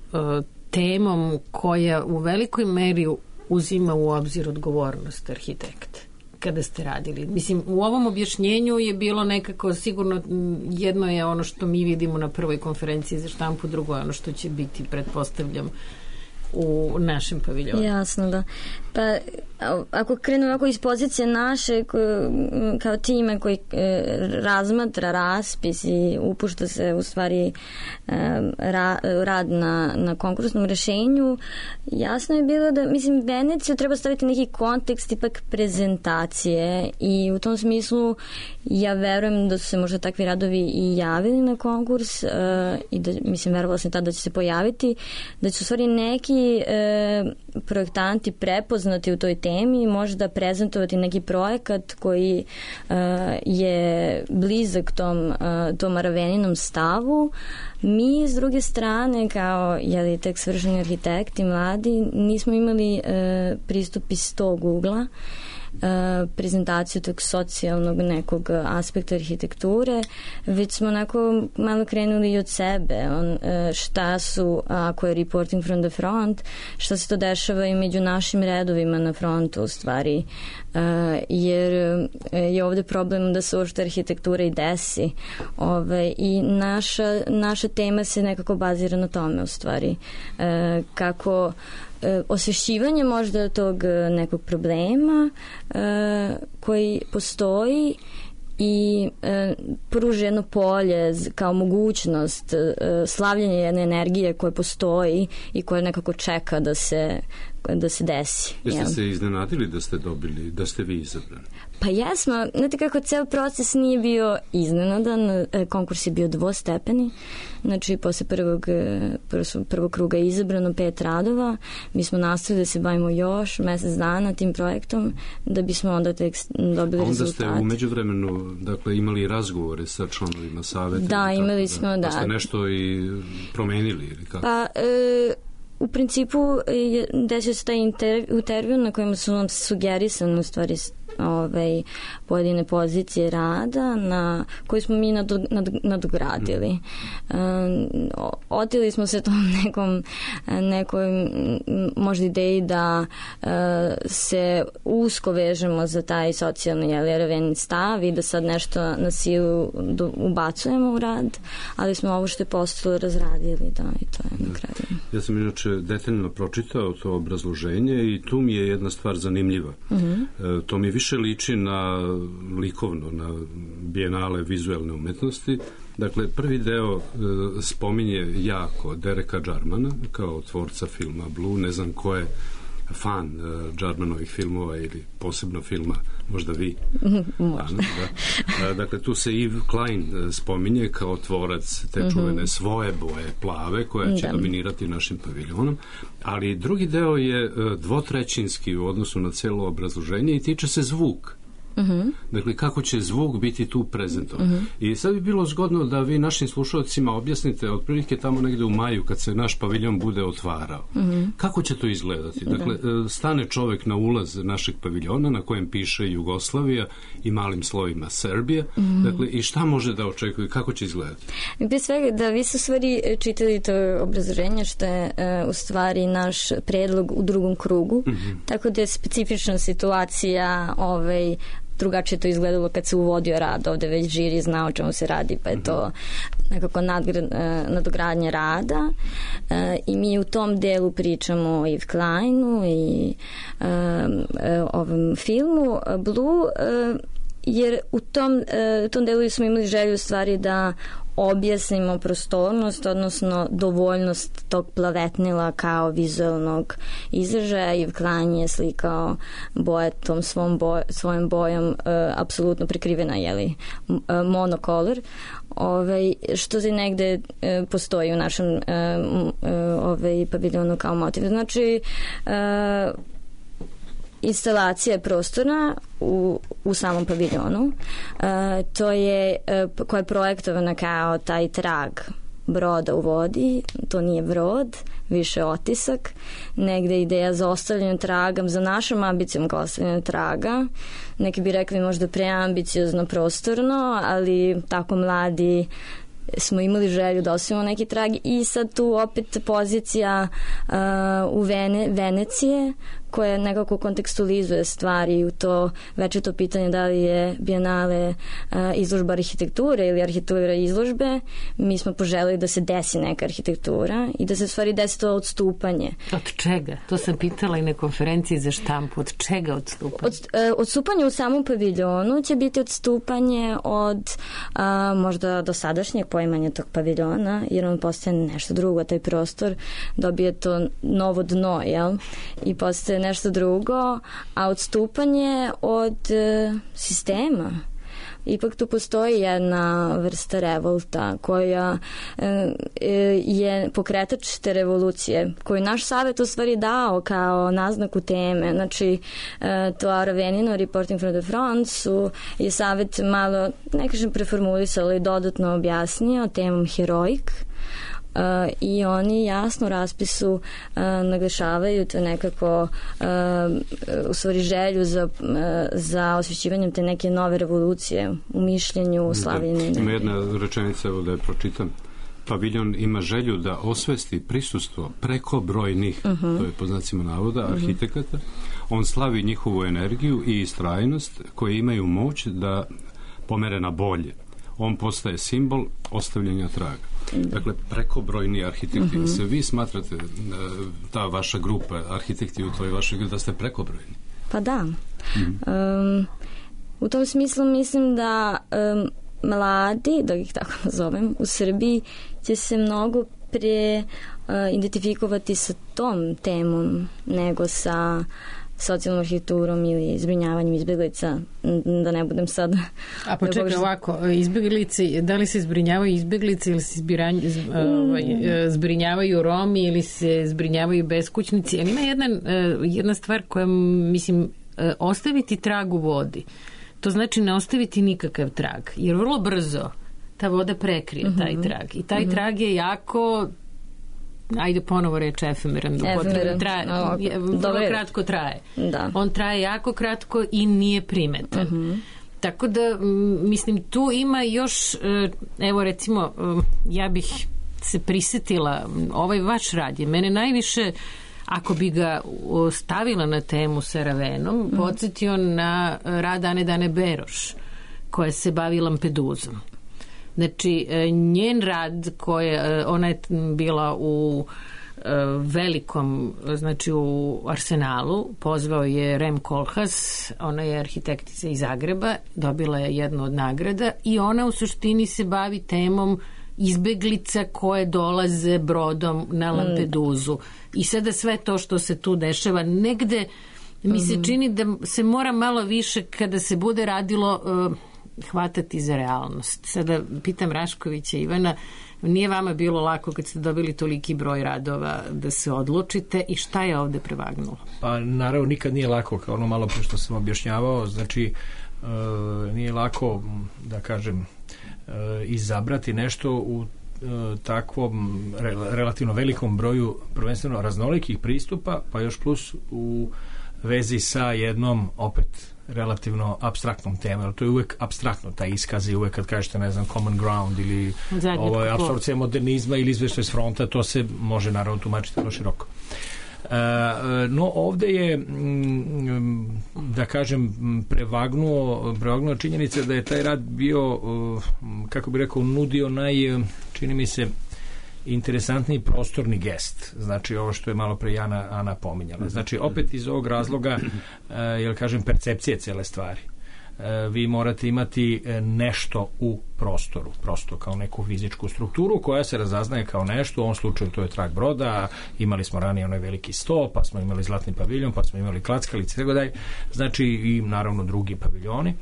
temom koja u velikoj meri uzima u obzir odgovornost arhitekta kada ste radili? Mislim, u ovom objašnjenju je bilo nekako sigurno, jedno je ono što mi vidimo na prvoj konferenciji za štampu, drugo je ono što će biti, pretpostavljam, u našem paviljonu. Jasno, da. Pa, ako krenu ovako iz pozicije naše kao time koji razmatra raspis i upušta se u stvari rad na konkursnom rešenju, jasno je bilo da, mislim, Veneciju treba staviti neki kontekst ipak prezentacije i u tom smislu ja verujem da su se možda takvi radovi i javili na konkurs i da, mislim, verovala sam tada da će se pojaviti, da će u stvari neki projektanti prepoznati u toj temi, možda prezentovati neki projekat koji je blizak tom Araveninom stavu. Mi, s druge strane, kao tek svršeni arhitekti, mladi, nismo imali pristup iz tog ugla, prezentaciju tog socijalnog nekog aspekta arhitekture, već smo onako malo krenuli i od sebe, šta su, ako je reporting from the front, šta se to dešava i među našim redovima na frontu u stvari, jer je ovde problem da se uopšte arhitektura i desi i naša tema se nekako bazira na tome u stvari, kako osvešćivanje možda tog nekog problema koji postoji i pruži jedno polje kao mogućnost slavljenja jedne energije koja postoji i koja nekako čeka da se desi. Jeste se iznenadili da ste vi izabrani? Pa jesmo, znate kako ceo proces nije bio iznenadan, konkurs je bio dvostepeni, znači posle prvog kruga je izabrano 5 radova, mi smo nastavili da se bavimo još mesec dana tim projektom, da bismo onda tek dobili rezultate. Onda ste u međuvremenu, dakle, imali razgovore sa članovima saveta? Da, imali smo, da. Pa ste nešto i promenili ili kako? Pa, u principu desio se taj intervju na kojem su nam sugerisane u stvari pojedine pozicije rada na koje smo mi nadogradili. Otili smo se tom nekoj možda ideji da se usko vežemo za taj socijalni araveni stav i da sad nešto na silu ubacujemo u rad, ali smo ovo što je postalo razradili, da, i to je na kraju. Ja sam inače detaljno pročitao to obrazloženje i tu mi je jedna stvar zanimljiva. To mi više liči na likovno, na Bienale vizuelne umetnosti. Dakle, prvi deo spominje jako Dereka Jarmana kao tvorca filma Blue, ne znam ko je fan Džarmanovih filmova ili posebno filma, možda vi. Možda. Dakle, tu se Yves Klein spominje kao tvorac te čuvene svoje boje plave koja će dominirati našim paviljonom, ali drugi deo je dvotrećinski u odnosu na celo obrazloženje i tiče se zvuk. Dakle, kako će zvuk biti tu prezentovan. I sad bi bilo zgodno da vi našim slušalcima objasnite otprilike tamo negde u maju kad se naš paviljon bude otvarao. Kako će to izgledati? Dakle, stane čovek na ulaz našeg paviljona na kojem piše Jugoslavija i malim slovima Serbija. Dakle, i šta može da očekuje? Kako će izgledati? Pre svega da vi su stvari čitali to obrazloženje što je u stvari naš predlog u drugom krugu. Tako da je specifična situacija drugačije to izgledalo kad se uvodio rad. Ovde već žiri zna o čemu se radi, pa je to nekako nadogradnje rada. I mi u tom delu pričamo o Yves Kleinu i ovom filmu Blue, jer u tom delu smo imali želju stvari da objasnimo prostornost, odnosno dovoljnost tog plavetnila kao vizualnog izražaja. Yves Klein je slikao boje tom svojom bojom apsolutno prekrivena, monocolor, što se negde postoji u našem paviljonu kao motiv. Znači, instalacija je prostorna u samom paviljonu. To je koja je projektovana kao taj trag broda u vodi. To nije brod, više otisak. Negde ideja za ostavljanjem traga, za našom ambicijom kao ostavljanjem traga. Neki bi rekli možda preambiciozno prostorno, ali tako mladi smo imali želju da ostavimo neki trag i sad tu opet pozicija u Venecije koja nekako kontekstualizuje stvari u to večito pitanje da li je Bijenale izložba arhitekture ili arhitektura izložbe. Mi smo poželili da se desi neka arhitektura i da se u stvari desi to odstupanje. Od čega? To sam pitala i na konferenciji za štampu. Od čega odstupanje? Odstupanje u samom paviljonu će biti odstupanje od možda dosadašnjeg poimanja tog paviljona, jer on postaje nešto drugo, taj prostor dobije to novo dno, jel? I postaje nešto drugo, a odstupanje od sistema. Ipak tu postoji jedna vrsta revolta koja je pokretač te revolucije, koju naš savjet u stvari dao kao naznaku teme. Znači, to Aravenino Reporting from the Front je savjet malo, ne kažem preformulisao, ali dodatno objasnio temom heroic. I oni jasno u raspisu naglašavaju to nekako u stvari želju za osvećivanjem te neke nove revolucije u mišljenju, u slavljenju. Ima jedna rečenica, evo da je pročitam. Paviljon ima želju da osvesti prisustvo prekobrojnih, to je po znacima navoda, arhitekata. On slavi njihovu energiju i istrajnost koje imaju moć da pomere na bolje. On postaje simbol ostavljanja traga. Dakle, prekobrojni arhitekti. Se vi smatrate, ta vaša grupa, arhitekti u toj vašoj grupi, da ste prekobrojni? Pa da. U tom smislu mislim da mladi, da ih tako nazovem, u Srbiji će se mnogo pre identifikovati sa tom temom nego sa socijalnom arhitekturom ili zbrinjavanjem izbjeglica, da ne budem sad... A pa čekaj ovako, izbjeglici, da li se zbrinjavaju izbjeglice ili se zbrinjavaju Romi ili se zbrinjavaju beskućnici, ali ima jedna stvar koja, mislim, ostaviti trag u vodi. To znači ne ostaviti nikakav trag, jer vrlo brzo ta voda prekrije taj trag. I taj trag je jako... ajde ponovo reći efemeran, vrlo kratko traje. Da. On traje jako kratko i nije primetan. Tako da, mislim, tu ima još, evo recimo, ja bih se prisetila, ovaj vaš rad je mene najviše, ako bi ga stavila na temu sa Ravenom, podsjetio na rad Ane Dane Beroš, koja se bavi Lampeduzom. Znači, njen rad, ona je bila u velikom, znači u Arsenalu, pozvao je Rem Koolhaas, ona je arhitektica iz Zagreba, dobila je jednu od nagrada i ona u suštini se bavi temom izbeglica koje dolaze brodom na Lampeduzu. I sada sve to što se tu dešava, negde mi se čini da se mora malo više kada se bude radilo hvatati za realnost. Sada pitam Raškovića, Ivana, nije vama bilo lako kad ste dobili toliki broj radova da se odlučite i šta je ovde prevagnulo? Pa naravno nikad nije lako, kao ono malo pre što sam objašnjavao, znači nije lako, da kažem, izabrati nešto u takvom relativno velikom broju prvenstveno raznolikih pristupa, pa još plus u vezi sa jednom opet relativno apstraktnom temom. To je uvek apstraktno, taj iskaz je uvek kad kažete, ne znam, common ground ili apsorpcija modernizma ili izveštaj s fronta, to se može naravno tumačiti vrlo široko. No ovde je, da kažem, prevagnuo činjenica da je taj rad bio, kako bi rekao, nudio čini mi se, interesantniji prostorni gest. Znači, ovo što je malo pre Ana pominjala. Znači, opet iz ovog razloga, jel kažem, percepcije cele stvari. Vi morate imati nešto u prostoru, prosto kao neku fizičku strukturu koja se razaznaje kao nešto, u ovom slučaju to je trak broda, imali smo ranije onaj veliki sto, pa smo imali zlatni paviljon, pa smo imali klackalice, tako dalje, znači i naravno drugi paviljoni.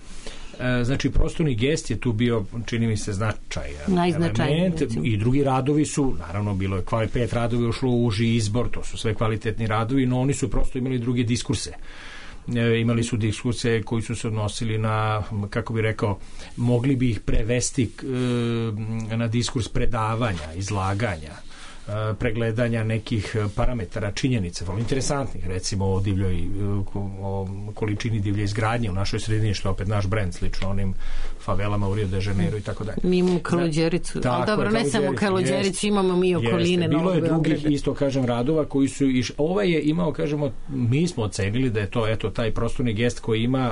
Znači, prostorni gest je tu bio, čini mi se, najznačajniji. I drugi radovi su, naravno, bilo je 5 radovi ušlo u uži izbor, to su sve kvalitetni radovi, no oni su prosto imali druge diskurse. Imali su diskurse koji su se odnosili na, kako bi rekao, mogli bi ih prevesti na diskurs predavanja, izlaganja, pregledanja nekih parametara, činjenica, vrlo interesantnih, recimo o količini divlje izgradnje u našoj sredini, što je opet naš brend, slično onim favelama u Rio de Janeiro i tako dalje. Mi imamo Kaluđericu, ali dobro, ne samo Kaluđericu, imamo mi okoline. Bilo je drugih, isto kažem, radova koji su ovaj je imao, kažemo, mi smo ocenili da je to, eto, taj prostorni gest koji ima,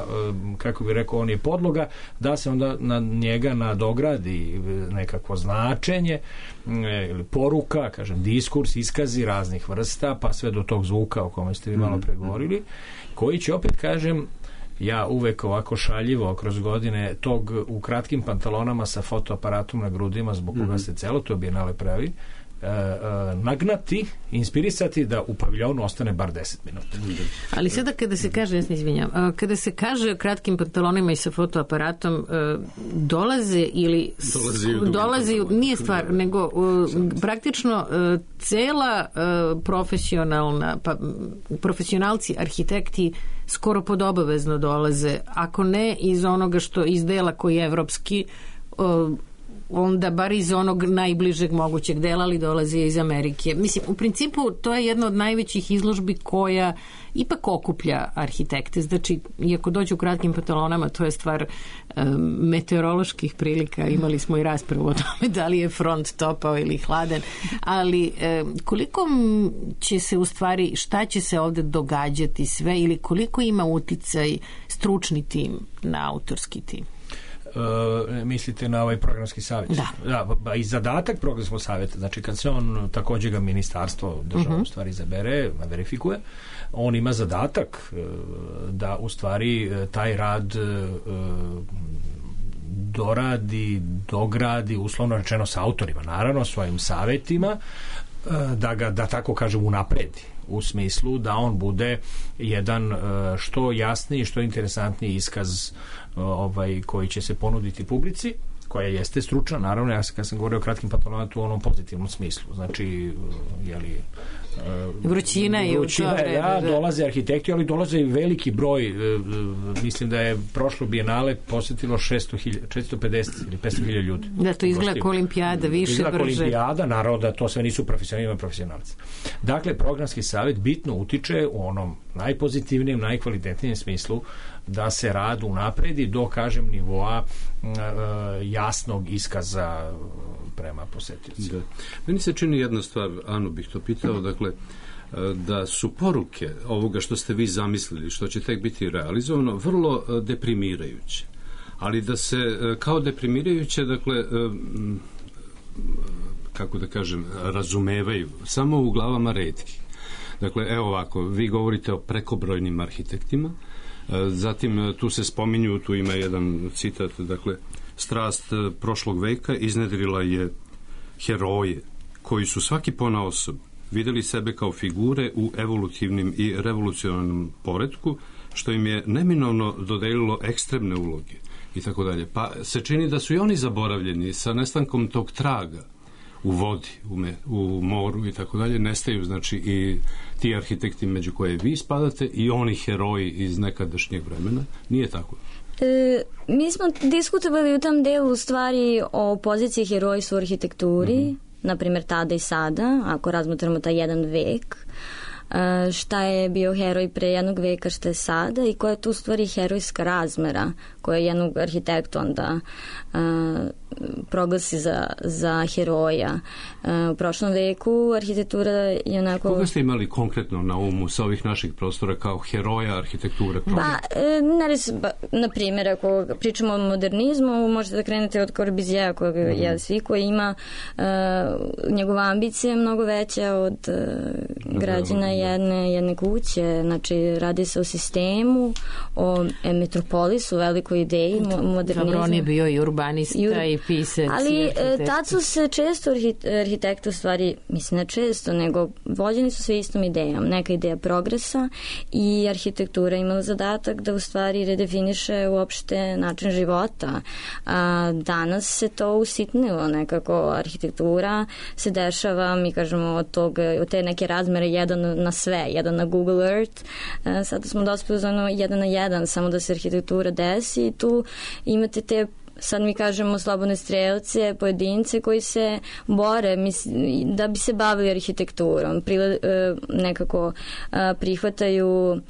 kako bi rekao, on je podloga, da se onda na njega nadogradi nekakvo značenje ili poruka, kažem, diskurs, iskazi raznih vrsta, pa sve do tog zvuka o kome ste vi malo pregovorili, koji će opet, kažem, ja uvek ovako šaljivo kroz godine tog u kratkim pantalonama sa fotoaparatom na grudima, zbog koga se celo to Bijenale pravi, nagnati, inspirisati da u paviljonu ostane bar 10 minuta. Ali sada kada se kaže, ja se izvinjam, kada se kaže o kratkim pantalonima i sa fotoaparatom, dolaze nije stvar, nego praktično cela profesionalna, profesionalci, arhitekti skoro podobavezno dolaze, ako ne iz onoga što iz dela koji je evropski, onda bar iz onog najbližeg mogućeg dela, ali dolazi iz Amerike. Mislim, u principu to je jedna od najvećih izložbi koja ipak okuplja arhitekte. Znači, iako dođu u kratkim pantalonama, to je stvar meteoroloških prilika. Imali smo i raspravu o tome da li je front topao ili hladan. Ali koliko će se u stvari, šta će se ovde događati sve ili koliko ima uticaj stručni tim na autorski tim? Mislite na ovaj programski savjet? Da, i zadatak programskog savjeta, znači kad se on, također ga ministarstvo država u stvari izabere, verifikuje, on ima zadatak da u stvari taj rad doradi, dogradi, uslovno rečeno sa autorima, naravno svojim savjetima, da ga, da tako kažem, unapredi, u smislu da on bude jedan što jasniji, što interesantniji iskaz koji će se ponuditi publici, koja jeste stručna, naravno, ja kad sam govorio o kratkim pantalonama, u onom pozitivnom smislu, znači vrućina i dolaze arhitekti, ali dolaze i veliki broj, mislim da je prošlo Bijenale posjetilo 450 ili 500.000 ljudi. Da, to izgleda kao olimpijada, više, izgleda brže. Olimpijada, naravno da to sve nisu profesionalci. Dakle, programski savjet bitno utiče u onom najpozitivnijem, najkvalitetnijem smislu da se rad unapredi do, kažem, nivoa jasnog iskaza prema posjetiocu. Da. Meni se čini jedna stvar, Anu bih to pitao, dakle, da su poruke ovoga što ste vi zamislili, što će tek biti realizovano, vrlo deprimirajuće. Ali da se kao deprimirajuće, dakle, kako da kažem, razumevaju samo u glavama retkih. Dakle, evo ovako, vi govorite o prekobrojnim arhitektima, zatim tu se spominju, tu ima jedan citat, dakle, strast prošlog veka iznedrila je heroje koji su svaki ponaosob videli sebe kao figure u evolutivnim i revolucionarnom poretku, što im je neminovno dodelilo ekstremne uloge i tako dalje. Pa se čini da su i oni zaboravljeni sa nestankom tog traga u vodi, u moru i tako dalje, nestaju znači i ti arhitekti među koje vi spadate i oni heroji iz nekadašnjeg vremena. Nije tako? Mi smo diskutovali u tom delu u stvari o poziciji herojstva u arhitekturi, na primjer tada i sada, ako razmotramo taj jedan vek, šta je bio heroj pre jednog veka, šta je sada i koja je tu u stvari herojska razmera koja jednog arhitekta onda proglasi za heroja. U prošlom veku arhitektura je onako... Koga ste imali konkretno na umu sa ovih naših prostora kao heroja arhitekture? Na primjer, ako pričamo o modernizmu, možete da krenete od Corbusier'a, koji ima njegova ambicija je mnogo veća od građana jedne kuće. Znači, radi se o sistemu, o metropolisu, velikoj ideji modernizmu. Dobro, on je bio i urbanista i pisac. Ali tad su se često arhitekti u stvari, mislim ne često, nego vođeni su sve istom idejom. Neka ideja progresa i arhitektura imala zadatak da u stvari redefiniše uopšte način života. Danas se to usitnilo nekako. Arhitektura se dešava, mi kažemo, od te neke razmere jedan na sve, jedan na Google Earth. Sada smo dospeli za ono 1 na 1, samo da se arhitektura desi i tu imate te, sad mi kažemo, slobodne strelce, pojedince koji se bore da bi se bavili arhitekturom, nekako prihvataju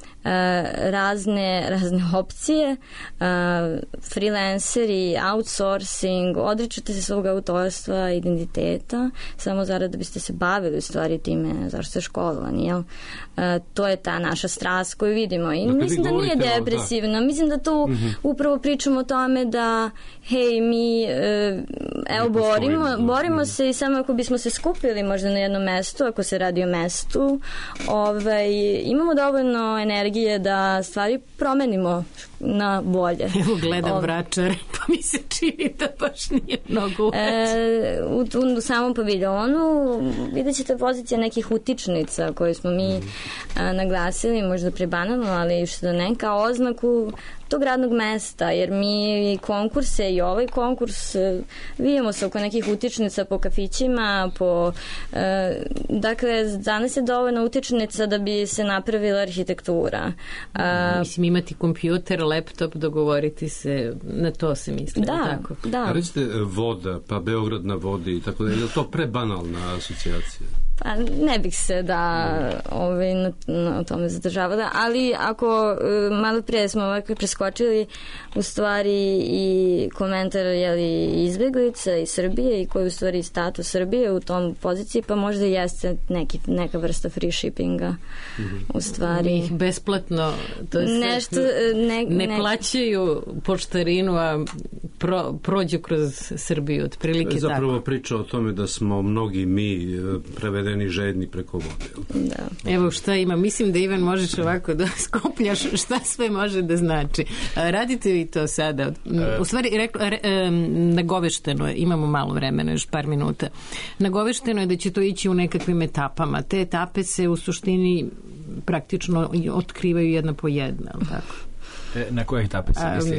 razne opcije, freelanceri, outsourcing, odričete se svog autorstva, identiteta, samo zarad da biste se bavili u stvari time zašto ste školovani, jel? To je ta naša strast koju vidimo i mislim da nije depresivno, mislim da tu upravo pričamo o tome da hej, mi borimo se i samo ako bismo se skupili možda na jednom mestu, ako se radi o mestu, imamo dovoljno energije da stvari promenimo na bolje. Evo gledam Vračar, pa mi se čini da baš nije mnogo u samom paviljonu vidjet ćete pozicija nekih utičnica koje smo mi naglasili, možda prebanalno, ali što da ne, kao oznaku tog radnog mesta, jer mi konkurse i ovaj konkurs vidimo se oko nekih utičnica po kafićima, dakle, danas je dovoljno utičnica da bi se napravila arhitektura. Mislim, imati kompjuter, laptop, dogovoriti se, na to se misli. Tako? Da. Recite voda, pa Beograd na vodi i tako da, je to prebanalna asocijacija? Pa ne bih se na tome zadržavala, ali ako malo prije smo ovako preskočili u stvari i komentar izbjeglica iz Srbije i koji u stvari status Srbije u tom poziciji, pa možda jeste neka vrsta free shippinga u stvari. Ih besplatno ne plaćaju poštarinu, a prođu kroz Srbiju, otprilike tako. Zapravo priča o tome da smo mnogi mi prevedeni žedni preko vode. Da. Evo šta ima, mislim da Ivan možeš ovako da skopljaš šta sve može da znači. Radite vi to sada? U stvari, nagovešteno je, imamo malo vremena, još par minuta. Nagovešteno je da će to ići u nekakvim etapama. Te etape se u suštini praktično otkrivaju jedna po jedna, ali tako? Na koje etape se misli?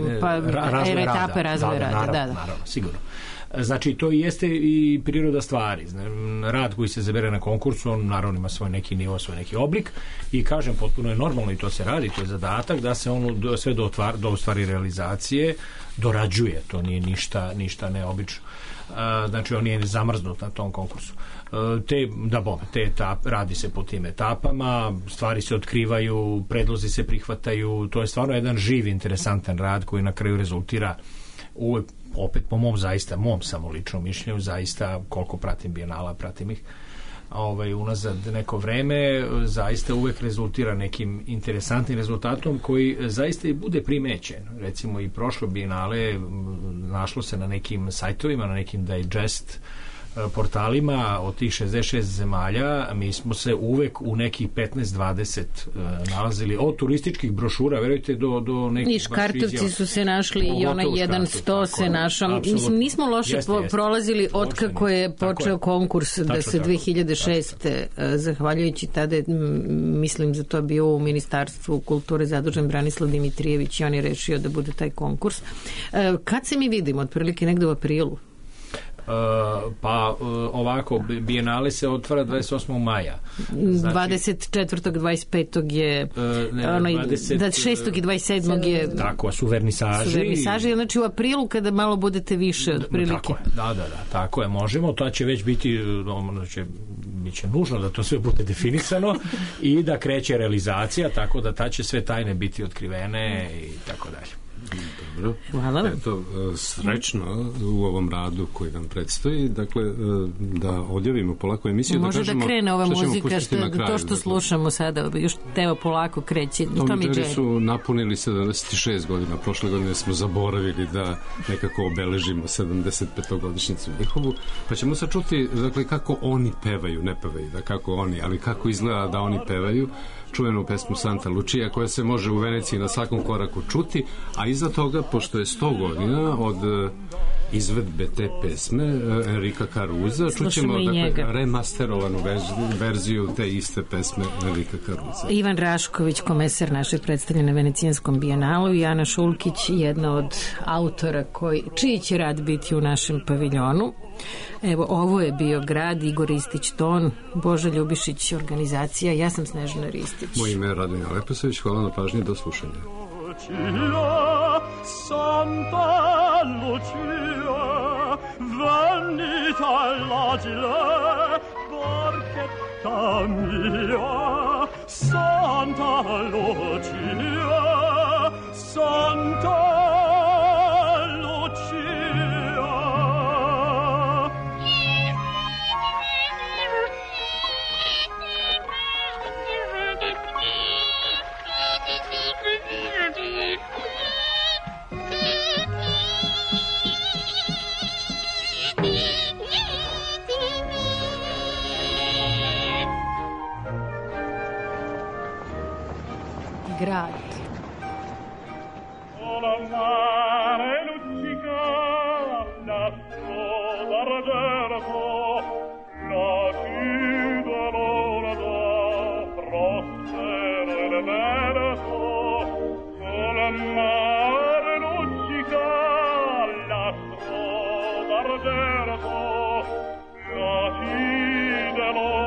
Etape razvoja rada. Naravno, sigurno. Znači, to jeste i priroda stvari. Rad koji se zabere na konkursu, on naravno ima svoj neki nivo, svoj neki oblik i kažem, potpuno je normalno i to se radi, to je zadatak da se ono sve do stvari realizacije dorađuje, to nije ništa neobično. Znači, on je zamrznut na tom konkursu. Radi se po tim etapama, stvari se otkrivaju, predlozi se prihvataju, to je stvarno jedan živ, interesantan rad koji na kraju rezultira opet po mom samo ličnom mišljenju, zaista koliko pratim Bijenala, pratim ih unazad neko vreme, zaista uvek rezultira nekim interesantnim rezultatom koji zaista i bude primećen. Recimo i prošlo Bijenale našlo se na nekim sajtovima, na nekim digest portalima od tih 66 zemalja, mi smo se uvek u nekih 15-20 nalazili od turističkih brošura, verujte, do nekih... I Škartovci su se našli i onaj 100 se našao. Mislim, nismo loše prolazili od kako je počeo konkurs da se 2006. Zahvaljujući tada, mislim za to bio u Ministarstvu kulture zadužen Branislav Dimitrijević i on je rešio da bude taj konkurs. Kad se mi vidimo? Otprilike negde u aprilu? Pa ovako, Bijenale se otvara 28. maja. Znači, 24. 25. je 6. i 27. je tako, su vernisaži. Znači u aprilu kada malo budete više otprilike. Tako je, da, tako je, možemo, to će već biti biće nužno da to sve bude definisano i da kreće realizacija, tako da ta će sve tajne biti otkrivene i tako dalje. Dobro. Hvala. Eto, srećno u ovom radu koji nam predstoji, dakle, da odjavimo polako emisiju. Može da krene ova muzika, to što slušamo sada, još teo polako kreće. Tom i Jerry su napunili 76 godina, prošle godine smo zaboravili da nekako obeležimo 75-godišnjicu njihovu, pa ćemo sad čuti, dakle, kako oni pevaju, ne pevaju, da kako oni, ali kako izgleda da oni pevaju, čuvenu pesmu Santa Lucia koja se može u Veneciji na svakom koraku čuti, a iza toga, pošto je 100 godina od izvedbe te pesme Enrika Caruza, čućemo remasterovanu verziju te iste pesme Enrika Caruza. Ivan Rašković, komesar naše predstavljene na Venecijanskom bijenalu, i Ana Šulkić, jedna od autora čiji će rad biti u našem paviljonu. Evo, ovo je bio grad, Igor Ristić ton, Boža Ljubišić organizacija, ja sam Snežana Ristić. Moje ime je Radmila Leposavić, hvala na pažnji, do slušanja. Santa Lucia, venita l'agile, barchetta mia, Santa Lucia, Santa grad. Del